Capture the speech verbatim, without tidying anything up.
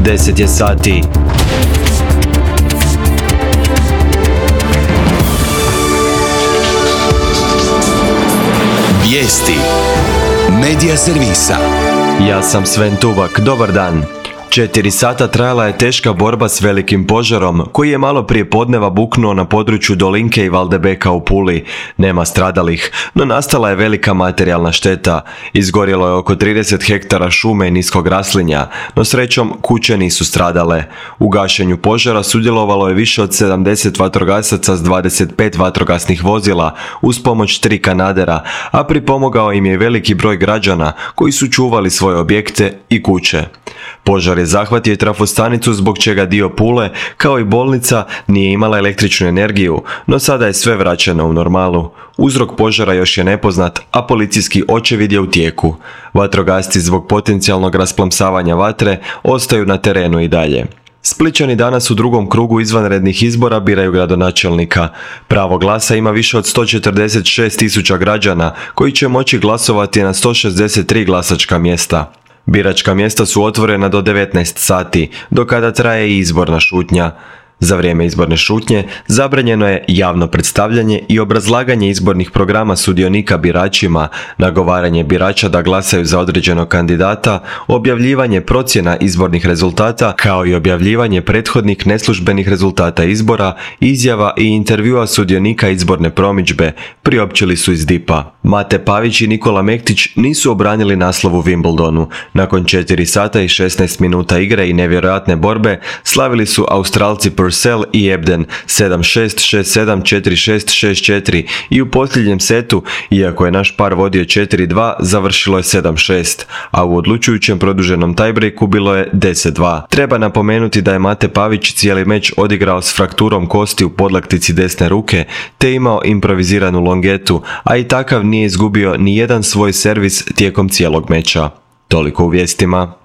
deset je sati. Vijesti Medija servisa. Ja sam Sven Tuvak, dobar dan. Četiri sata trajala je teška borba s velikim požarom, koji je malo prije podneva buknuo na području Dolinke i Valdebeka u Puli. Nema stradalih, no nastala je velika materijalna šteta. Izgorjelo je oko trideset hektara šume i niskog raslinja, no srećom kuće nisu stradale. U gašenju požara sudjelovalo je više od sedamdeset vatrogasaca s dvadeset pet vatrogasnih vozila, uz pomoć tri kanadera, a pripomogao im je veliki broj građana koji su čuvali svoje objekte i kuće. Požar je zahvatio i trafostanicu, zbog čega dio Pule, kao i bolnica, nije imala električnu energiju, no sada je sve vraćeno u normalu. Uzrok požara još je nepoznat, a policijski očevid je u tijeku. Vatrogasci zbog potencijalnog rasplamsavanja vatre ostaju na terenu i dalje. Splićani danas u drugom krugu izvanrednih izbora biraju gradonačelnika. Pravo glasa ima više od sto četrdeset šest tisuća građana koji će moći glasovati na sto šezdeset tri glasačka mjesta. Biračka mjesta su otvorena do devetnaest sati, do kada traje i izborna šutnja. Za vrijeme izborne šutnje zabranjeno je javno predstavljanje i obrazlaganje izbornih programa sudionika biračima, nagovaranje birača da glasaju za određenog kandidata, objavljivanje procjena izbornih rezultata, kao i objavljivanje prethodnih neslužbenih rezultata izbora, izjava i intervjua sudionika izborne promidžbe, priopćili su iz D I P-a. Mate Pavić i Nikola Mektić nisu obranili naslov u Wimbledonu. Nakon četiri sata i šesnaest minuta igre i nevjerojatne borbe, slavili su Australci Purcell i Ebden sedam šest, šest sedam, četiri šest, šest četiri i u posljednjem setu, iako je naš par vodio četiri dva, završilo je sedam šest, a u odlučujućem produženom tiebreaku bilo je deset dva. Treba napomenuti da je Mate Pavić cijeli meč odigrao s frakturom kosti u podlaktici desne ruke, te imao improviziranu longetu, a i takav nije izgubio ni jedan svoj servis tijekom cijelog meča. Toliko u vijestima.